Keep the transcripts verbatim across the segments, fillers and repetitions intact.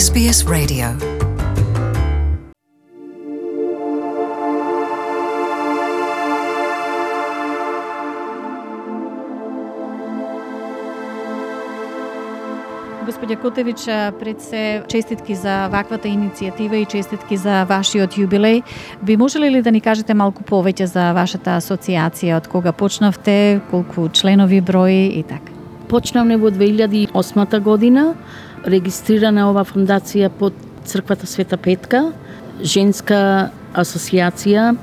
Ес Би Ес Radio. Господја Котевич, пред се честитки за ваквата иницијатива и честитки за вашиот јубилеј. Би можеле ли да ни кажете малку повеќе за вашата асоциација, од кога почнавте, колку членови брои и така? Почнавме во две илјади и осма година, регистрирана ова фондација под Црквата Света Петка, женска асоциација.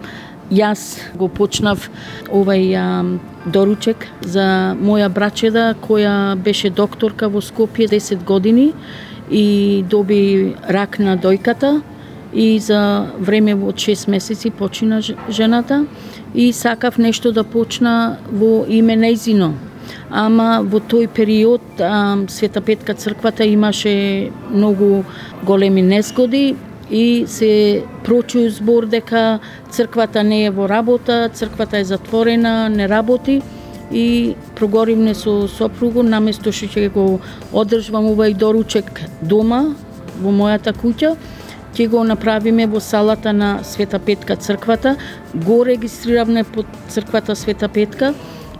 Јас го почнав овај а, доручек за моја брачеда, која беше докторка во Скопје десет години и доби рак на дојката и за време од шест месеци почина жената и сакав нешто да почна во име нејзино. Ама во тој период а, Света Петка црквата имаше многу големи незгоди и се прочуј збор дека црквата не е во работа, црквата е затворена, не работи и проговоривме со сопругу, наместо што ќе го одржувам овај доручек дома, во мојата куќа, ќе го направиме во салата на Света Петка црквата, го регистриравме под Црквата Света Петка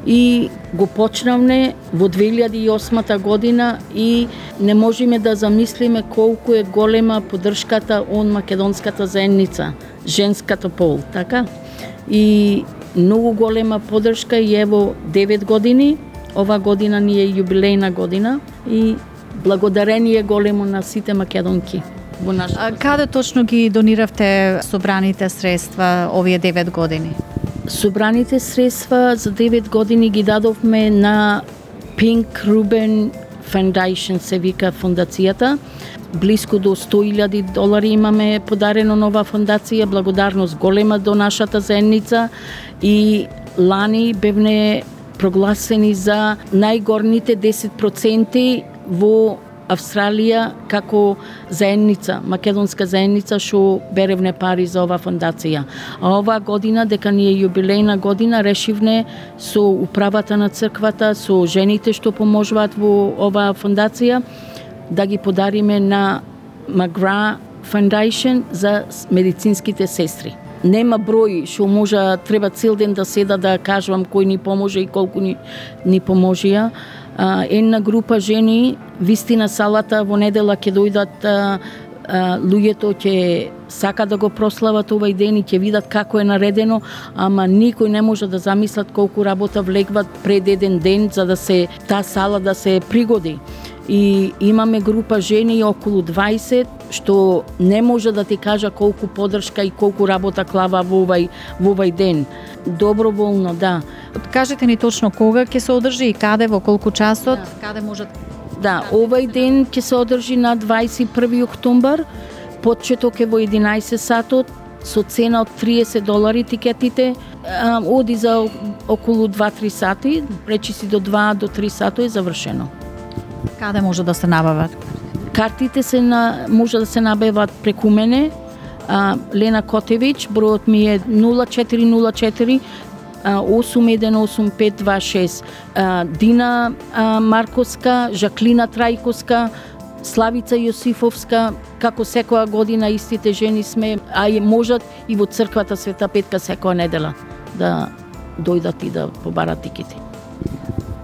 и го почнавме во две илјади и осма година и не можеме да замислиме колку е голема поддршката од македонската заедница, женската пол, така? И многу голема поддршка и ево девет години, ова година ни е јубилејна година и благодарение големо на сите македонки. А каде точно ги дониравте собраните средства овие девет години? Собраните средства за девет години ги дадовме на Pink Ruben Foundation, се вика фондацијата. Блиску до сто илјади долари имаме подарено на оваа фондација, благодарност голема до нашата заедница и лани бевне прогласени за најгорните десет проценти во Австралија како заедница, македонска заедница што беревне пари за оваа фондација. А оваа година, дека ни е јубилејна година, решивне со управата на црквата, со жените што поможуваат во оваа фондација, да ги подариме на McGrath Foundation за медицинските сестри. Нема број што може, треба цел ден да седа да кажувам кој ни поможе и колку ни, ни поможија. Uh, една група жени, вистина салата во недела ќе дојдат uh, uh, луѓето ќе сака да го прослават овај ден и ќе видат како е наредено, ама никој не може да замислат колку работа влегват пред еден ден за да се таа сала да се пригоди. И имаме група жени околу дваесет што не може да ти кажа колку поддршка и колку работа клава во овај во овај ден. Доброволно, да. Кажете ни точно кога ќе се одржи и каде, во колку часот, да. Каде можат... Да, овај ден ќе се одржи на дваесет и први октомбар, почеток е во единаесет сатот, со цена од триесет долари тикетите, а, оди за околу два-три сати, речи си до два до три сати е завршено. Каде може да се набават? Картите се на, може да се набават преку мене, а, Лена Котевич, бројот ми е нула четири нула четири осум еден осум пет два шест. Дина а, Марковска, Жаклина Трајковска, Славица Јосифовска, како секоја година истите жени сме, а и можат и во црквата Света Петка секоја недела да дојдат и да побарат тикети.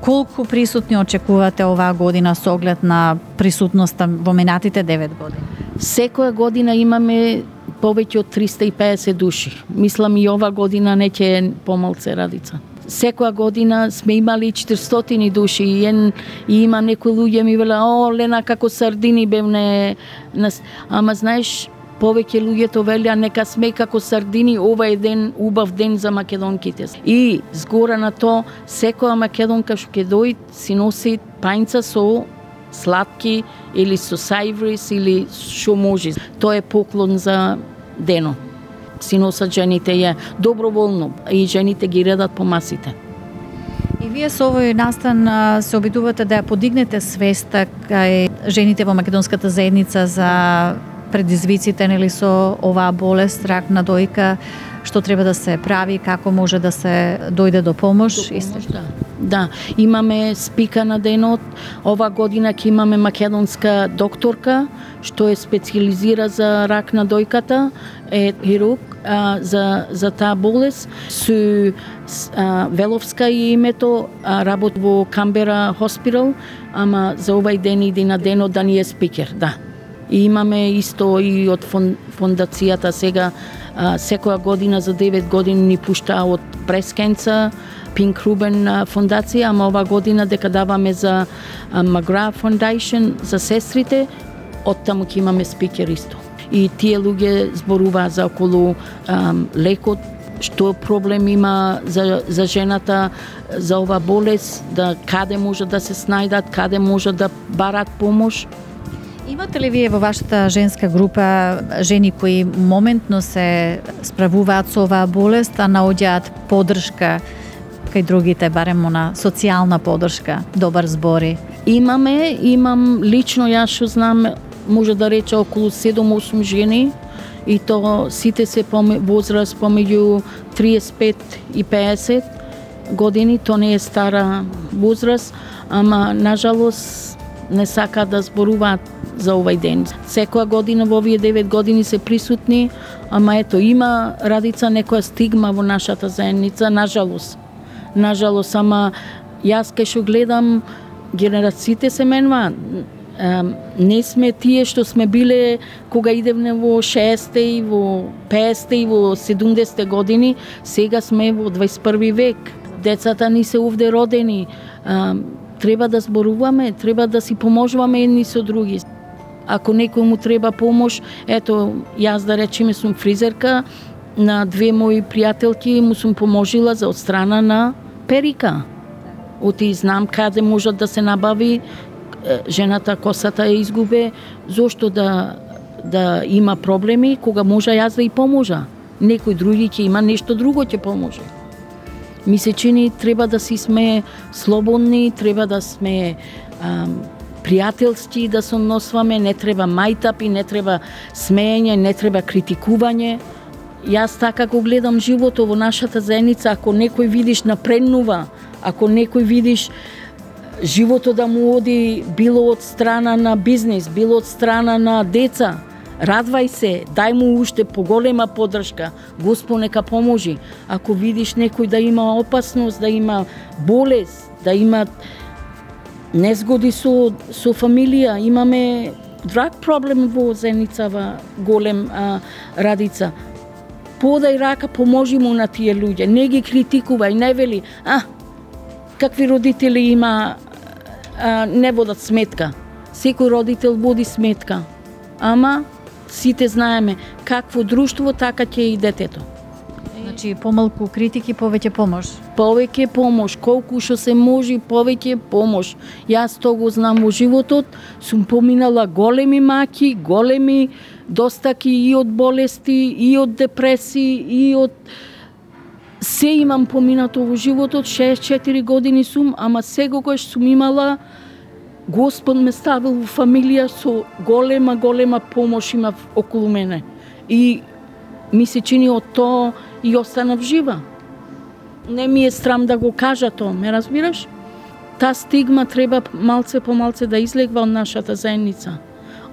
Колку присутни очекувате оваа година со оглед на присутноста во минатите девет години? Секоја година имаме повеќе од триста и педесет души. Мислам и ова година не ќе е помалце Радица. Секоја година сме имали четиристотини души и, ен, и има некои луѓе ми веле, о, Лена, како сардини бевне. Ама знаеш, повеќе луѓето велеа нека сме како сардини, ова е ден, убав ден за македонките. И згора на то, секоја македонка што ќе дојде си носи пајнца со сладки или со сајврис или што може. Тоа е поклон за дено. Си носат жените ја доброволно и жените ги редат по масите. И вие со овој настан се обидувате да ја подигнете свеста кај жените во македонската заедница за предизвиците нели со оваа болест, рак на дојка, што треба да се прави, како може да се дојде до помош. До помош, да. Да, имаме спика на денот. Ова година ќе имаме македонска докторка што е специализира за рак на дојката, е хирург а, за за таа болест. Су а, Веловска е името, а, работи во Камбера Хоспитал, ама за овај ден иди на денот да ни е спикер, да. И имаме исто и од фондацијата сега, а, секоја година за девет години ни пушта од Breast Cancer, Pink Ruben фондација, ама ова година дека даваме за McGrath Foundation, за сестрите, оттаму ќе имаме спикер исто. И тие луѓе зборуваат за околу ам, лекот, што проблем има за, за жената, за ова болест, да каде може да се снајдат, каде може да барат помош. Имате ли вие во вашата женска група жени кои моментно се справуваат со оваа болест, а наоѓаат поддршка кај другите, барем она социјална поддршка, добар збори? Имаме, имам лично јас што знам, може да рече околу седум-осум жени, и то сите се по возраст помеѓу триесет и пет и пеесет години, то не е стара возраст, ама нажалост не сака да зборуваат за овај ден. Секоја година во овие девет години се присутни, ама ето има Радица некоја стигма во нашата заедница, нажалост. Нажалост, ама јас кај што гледам, генерациите се менуваат. Не сме тие што сме биле кога идевме во шеесетте и во пеесетте и во седумдесетте години, сега сме во дваесет и први век. Децата ни се овде родени. Треба да зборуваме, треба да си поможуваме едни со други. Ако некој му треба помош, ето, јас да речеме сум фризерка, на две мои пријателки му сум поможила за од страна на перика. Оти знам каде може да се набави, жената косата ја изгубе, зошто да да има проблеми, кога може јас да и поможа. Некој други ќе има нешто друго ќе поможе. Ми се чини треба да си сме слободни, треба да сме ам, пријателски да се односваме, не треба мајтапи, не треба смеење, не треба критикување. Јас така го гледам животот во нашата заедница, ако некој видиш напреднува, ако некој видиш животот да му оди било од страна на бизнес, било од страна на деца, радвај се, дај му уште поголема поддршка, Господ нека поможи. Ако видиш некој да има опасност, да има болест, да има незгоди со, со фамилија, имаме драг проблем во заедницава голем а, Радица. Подај рака, поможи му на тие луѓе, не ги критикувај, не вели, а, какви родители има, а, не водат сметка. Секој родител води сметка, ама сите знаеме какво друштво, така ќе и детето. Значи, помалку критики, повеќе помош. Повеќе помош, колку што се може, повеќе помош. Јас тоа го знам во животот, сум поминала големи маки, големи достаки и од болести, и од депресии, и од... Се имам поминато во животот, шеесет и четири години сум, ама секогаш сум имала, Господ ме ставил во фамилија со голема, голема помош има околу мене. И ми се чини од тоа и останав жива. Не ми е срам да го кажа тоа, ме разбираш? Та стигма треба малце по малце да излегва од нашата заедница.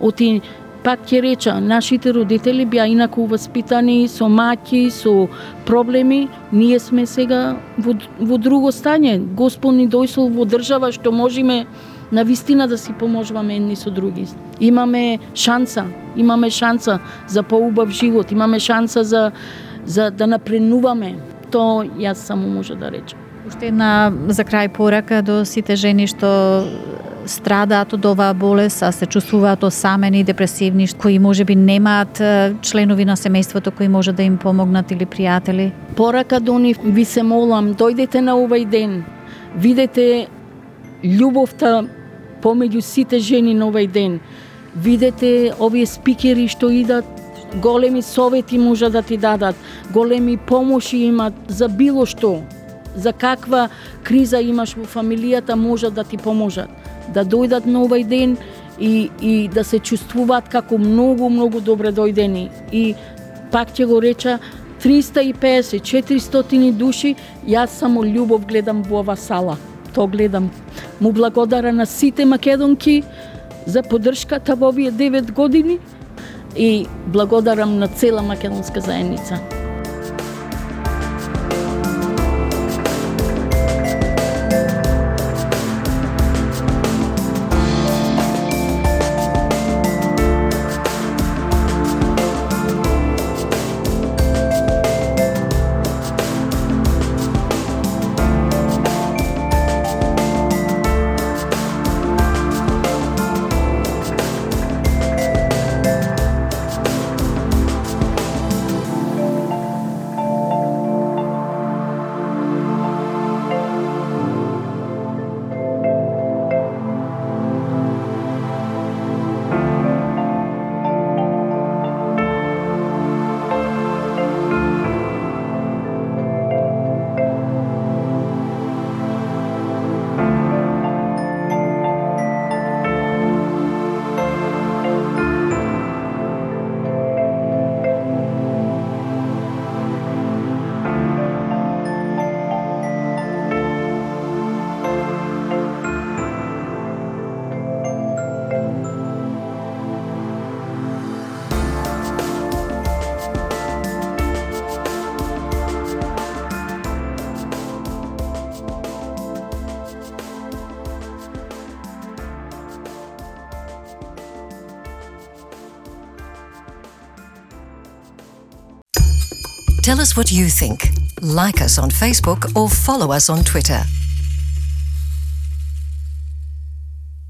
Оти, пак ќе реча, нашите родители беа инаку воспитани, со маќи, со проблеми. Ние сме сега во, во друго стање. Господ ни дојшол во држава што можеме на вистина да си поможуваме едни со други. Имаме шанса, имаме шанса за поубав живот, имаме шанса за, за да напреднуваме. Тоа јас само може да речам. Уште една за крај порака до сите жени што страдаат од оваа болест, а се чувствуваат осамени, депресивни, кои можеби немаат членови на семејството кои може да им помогнат или пријатели. Порака до нив, ви се молам, дојдете на овај ден, видете љубовта помеѓу сите жени на овај ден. Видете овие спикери што идат, големи совети може да ти дадат, големи помоши имат за било што, за каква криза имаш во фамилијата може да ти поможат. Да дојдат на овај ден и, и да се чувствуваат како многу, многу добре дојдени. И пак ќе го реча, триста и песет, четиристотини души, јас само љубов гледам во ова сала. Тоа гледам. Му благодарам на сите македонки за поддршката во овие девет години и благодарам на цела македонска заедница. Tell us what you think. Like us on Facebook or follow us on Twitter.